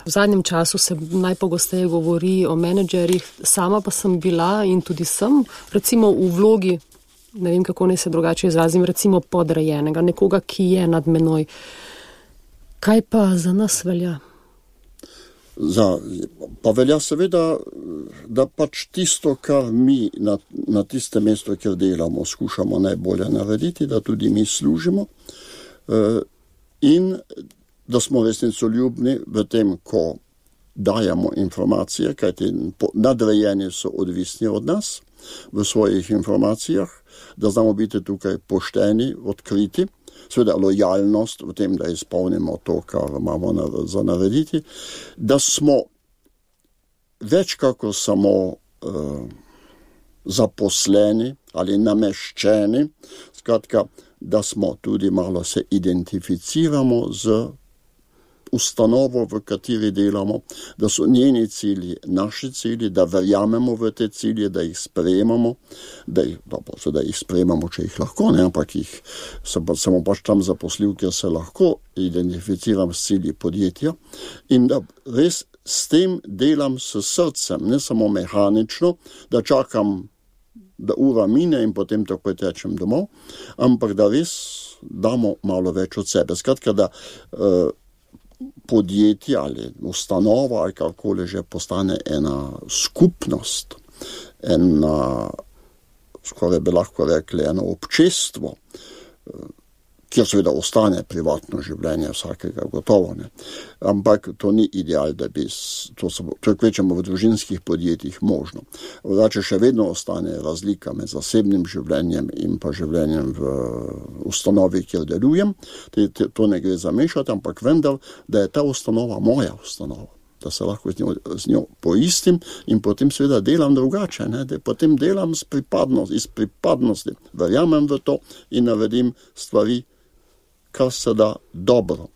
Speaker 2: V zadnjem času se najpogosteje govori o menedžerjih, sama pa sem bila in tudi sem, recimo v vlogi, ne vem kako ne se drugače izrazim, recimo podrejenega, nekoga, ki je nad menoj. Kaj pa za nas velja?
Speaker 3: Za, pa velja seveda, da pač tisto, kar mi na, na tiste mesto, kjer delamo, skušamo najbolje narediti, da tudi mi služimo eh, in da smo resnicoljubni v tem, ko dajemo informacije, kajti nadrejeni so odvisni od nas v svojih informacijah, da znamo biti tukaj pošteni, odkriti, seveda lojalnost v tem, da izpolnimo to, kar imamo za narediti, da smo več kako samo uh, zaposleni ali nameščeni, skratka, da smo tudi malo se identificiramo z ustanovo, v kateri delamo, da so njeni cilji naši cilji, da verjamemo v te cilje, da jih sprejemamo, da jih, dobro, da jih sprejemamo, če jih lahko, ne, ampak jih samo pač tam zaposlil, ker se lahko identificiram s cilji podjetja in da res s tem delam s srcem, ne samo mehanično, da čakam, da ura mine in potem takoj tečem domov, ampak da res damo malo več od sebe. Skratka, da uh, podjetje ali ustanova ali kakoli že postane ena skupnost, ena, skoraj bi lahko rekli, eno občestvo, kjer seveda ostane privatno življenje vsakega gotovo, ne. Ampak to ni ideal, da bi, to se kvečemo v družinskih podjetjih možno. Vrače še vedno ostane razlika med zasebnim življenjem in pa življenjem v ustanovi, kjer delujem. To ne gre zamešati, ampak vendar, da je ta ustanova moja ustanova, da se lahko z njo, z njo poistim in potem seveda delam drugače, ne? Da potem delam z pripadnost, iz pripadnosti, verjamem v to in naredim stvari, kar se da dobro.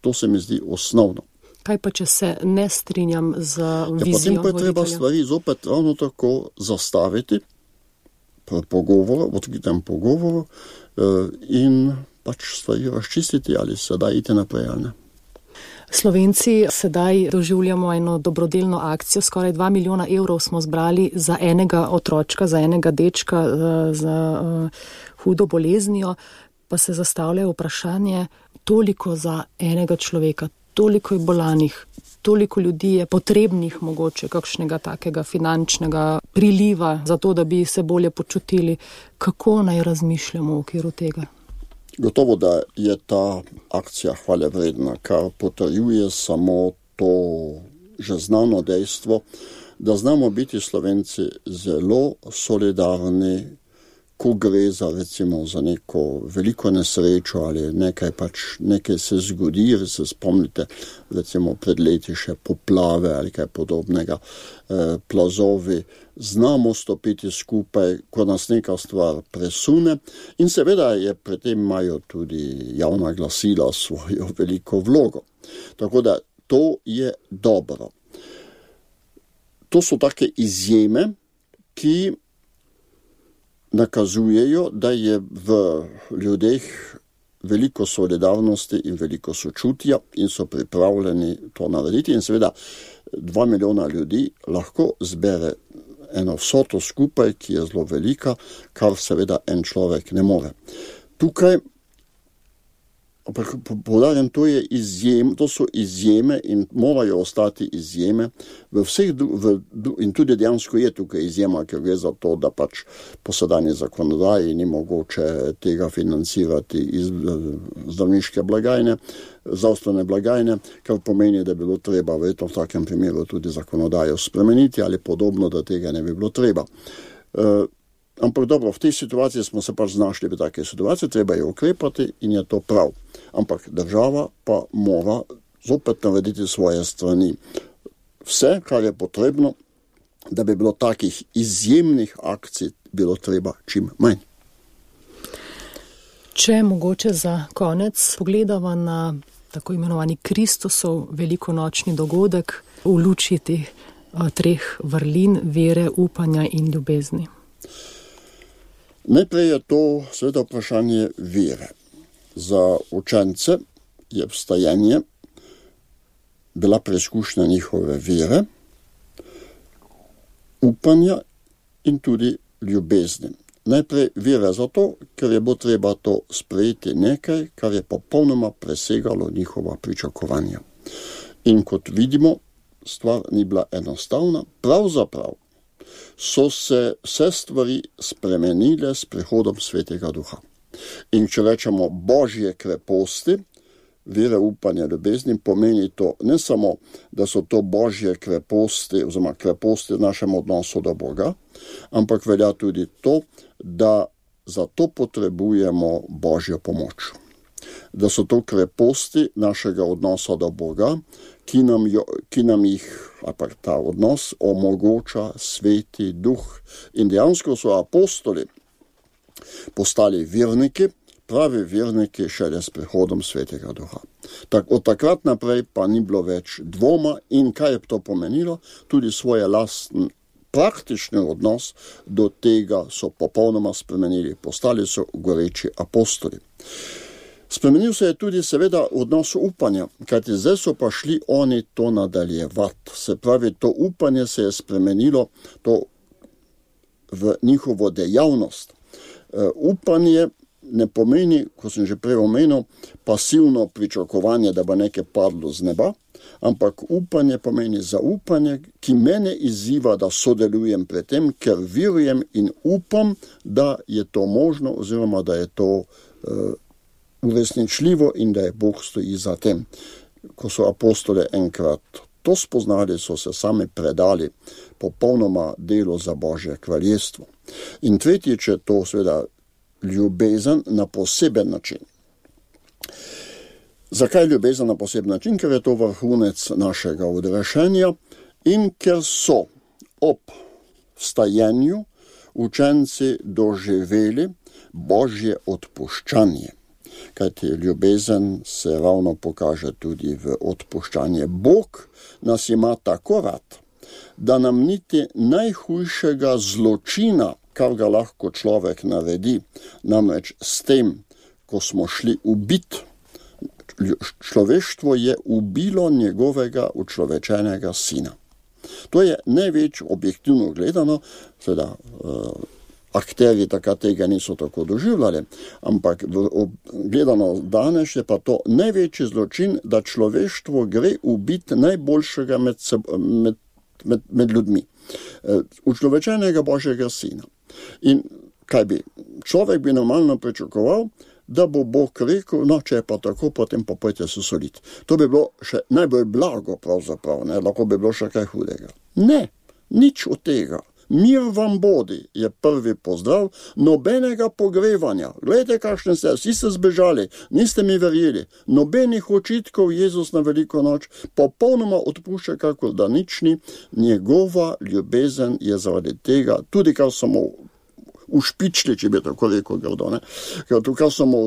Speaker 3: To se mi zdi osnovno.
Speaker 2: Kaj pa, če se ne strinjam z vizijo
Speaker 3: ja, potem pa je treba
Speaker 2: voditelja?
Speaker 3: Stvari zopet ravno tako zastaviti pri pogovoru, odkritem pogovoru in pač stvari razčistiti, ali se da iti naprej ali ne.
Speaker 2: Slovenci sedaj doživljamo eno dobrodelno akcijo, skoraj dva milijona evrov smo zbrali za enega otročka, za enega dečka za uh, hudo boleznijo, pa se zastavlja vprašanje, toliko za enega človeka, toliko je bolanih, toliko ljudi je potrebnih mogoče kakšnega takega finančnega priliva za to, da bi se bolje počutili. Kako naj razmišljamo v okviru tega?
Speaker 3: Gotovo, da je ta akcija hvale vredna, kar potrjuje samo to že znano dejstvo, da znamo biti Slovenci zelo solidarni, ko gre za recimo za neko veliko nesrečo ali nekaj pač, nekaj se zgodi, se spomnite recimo pred leti še poplave ali kaj podobnega, eh, plazovi, znamo stopiti skupaj, ko nas neka stvar presune in seveda je pri tem imajo tudi javna glasila svojo veliko vlogo. Tako da to je dobro. To so take izjeme, ki nakazujejo, da je v ljudeh veliko solidarnosti in veliko sočutja in so pripravljeni to narediti. In seveda dva milijona ljudi lahko zbere eno vsoto skupaj, ki je zelo velika, kar seveda en človek ne more. Tukaj ampak poudarjam, to je izjem, to so izjeme in morajo ostati izjeme v vseh, v, in tudi dejansko je tukaj izjema, ker gre za to, da pač po sedanji zakonodaji ni mogoče tega financirati iz zdravniške blagajne, zdravstvene blagajne, kar pomeni, da bi bilo treba verjetno v takem primeru tudi zakonodajo spremeniti ali podobno, da tega ne bi bilo treba. Uh, Ampak dobro, v tej situaciji smo se pač znašli v takej situaciji, treba je ukrepati in je to prav. Ampak država pa mora zopet narediti svoje strani. Vse, kar je potrebno, da bi bilo takih izjemnih akcij bilo treba čim manj.
Speaker 2: Če mogoče za konec pogledava na tako imenovani Kristusov velikonočni dogodek v luči teh treh vrlin vere, upanja in ljubezni.
Speaker 3: Najprej je to seveda vprašanje vere. Za učence je vstajenje bila preizkušnja njihove vere, upanja in tudi ljubezni. Najprej vere zato, ker je bilo treba to sprejeti nekaj, kar je popolnoma presegalo njihova pričakovanja. In kot vidimo, stvar ni bila enostavna, pravzaprav so se vse stvari spremenile s prihodom Svetega Duha. In če rečemo Božje kreposti, vere, upanja, ljubezni, pomeni to ne samo, da so to Božje kreposti, oziroma kreposti v našem odnosu do Boga, ampak velja tudi to, da za to potrebujemo Božjo pomoč. Da so to kreposti našega odnosa do Boga, ki nam, jo, ki nam jih, ali ta odnos, omogoča Sveti Duh. In dejansko so apostoli postali verniki, pravi verniki šele s prihodom Svetega Duha. Tak, od takrat naprej pa ni bilo več dvoma in kaj je to pomenilo, tudi svoje lasten praktični odnos do tega so popolnoma spremenili, postali so goreči apostoli. Spremenil se je tudi seveda odnos upanja, kajti zdaj so pa šli oni to nadaljevati. Se pravi, to upanje se je spremenilo to v njihovo dejavnost. Uh, upanje ne pomeni, ko sem že prej omenil, pasivno pričakovanje, da bo nekaj padlo z neba, ampak upanje pomeni zaupanje, ki mene izziva, da sodelujem pri tem, ker verujem in upam, da je to možno oziroma da je to uh, uresničljivo in da je Bog stoji za tem. Ko so apostole enkrat to spoznali, so se sami predali popolnoma delu za Božje kraljestvo. In tretjič je to seveda ljubezen na poseben način. Zakaj ljubezen na poseben način? Ker je to vrhunec našega odrešenja in ker so ob vstajenju učenci doživeli Božje odpuščanje. Kajti ljubezen se ravno pokaže tudi v odpuščanje. Bog nas ima tako rad, da nam niti najhujšega zločina, kar ga lahko človek naredi, namreč s tem, ko smo šli ubit, človeštvo je ubilo njegovega učlovečenega sina. To je največ objektivno gledano, seveda uh, akterji takrat tega niso tako doživljali, ampak gledano danes je pa to največji zločin, da človeštvo gre ubiti najboljšega med, med, med, med ljudmi, učlovečenega Božjega sina. In kaj bi? Človek bi normalno pričakoval, da bo Bog rekel, no, če je pa tako, potem pa pojte se soliti. To bi bilo še najbolj blago pravzaprav, ne? Lahko bi bilo še kaj hudega. Ne, nič od tega. Mir vam bodi, je prvi pozdrav, nobenega pogrevanja. Glejte, kakšne ste, vsi ste zbežali, niste mi verjeli. Nobenih očitkov Jezus na veliko noč, popolnoma odpušča, kako da nič ni. Njegova ljubezen je zaradi tega, tudi kar samo ušpičili, če bi tako rekel grdo, ne? Kar samo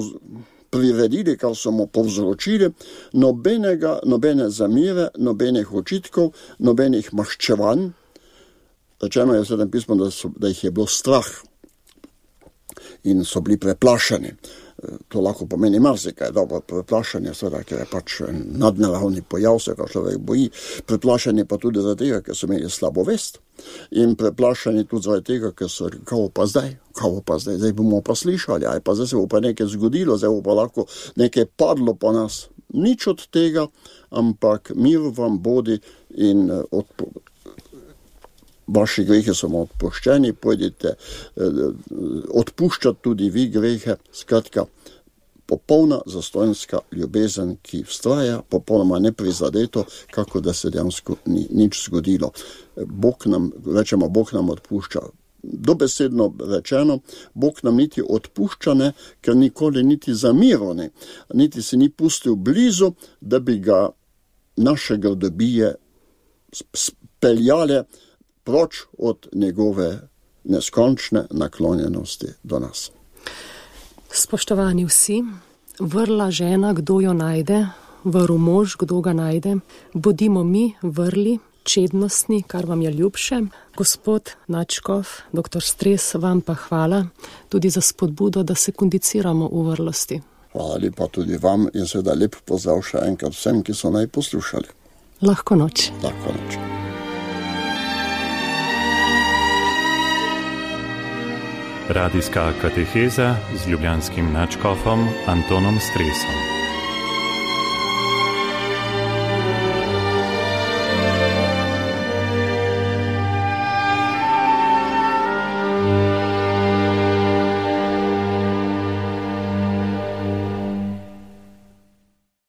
Speaker 3: priredili, kar smo povzročili, nobenega, nobene zamire, nobenih očitkov, nobenih maščevanj. Rečeno je v Svetem pismu, da, so, da jih je bilo strah in so bili preplašeni. To lahko pomeni marsikaj, dobro, preplašanje, seveda, ker je pač nadnaravni pojav, se ga človek boji, preplašanje pa tudi zaradi tega, ker so imeli slabo vest in preplašanje tudi zaradi tega, ker so rekli, kao pa zdaj, kao pa zdaj, zdaj bomo pa slišali, aj pa zdaj se bo pa nekaj zgodilo, zdaj bo pa lahko nekaj padlo po nas. Nič od tega, ampak mir vam bodi in odpo... vaši grehe so vam odpuščeni, pojdite odpuščati tudi vi grehe, skratka, popolna zastojnska ljubezen, ki vztraja, popolnoma neprizadeto, kako da se dejansko ni nič zgodilo. Bog nam, rečemo, Bog nam odpušča. Dobesedno rečeno, Bog nam niti odpušča ne, ker nikoli niti zamiril ne, niti se ni pustil blizu, da bi ga naše grdobije speljale proč od njegove neskončne naklonjenosti do nas.
Speaker 2: Spoštovani vsi, vrla žena, kdo jo najde, vrl mož, kdo ga najde, bodimo mi vrli, čednostni, kar vam je ljubše. Gospod Nadškof, doktor Stres, vam pa hvala tudi za spodbudo, da se kondiciramo v vrlosti.
Speaker 3: Hvala lepa tudi vam in seveda lep pozdrav še enkrat vsem, ki so naj poslušali.
Speaker 2: Lahko noč.
Speaker 3: Lahko noč.
Speaker 1: Radijska kateheza z ljubljanskim nadškofom Antonom Stresom.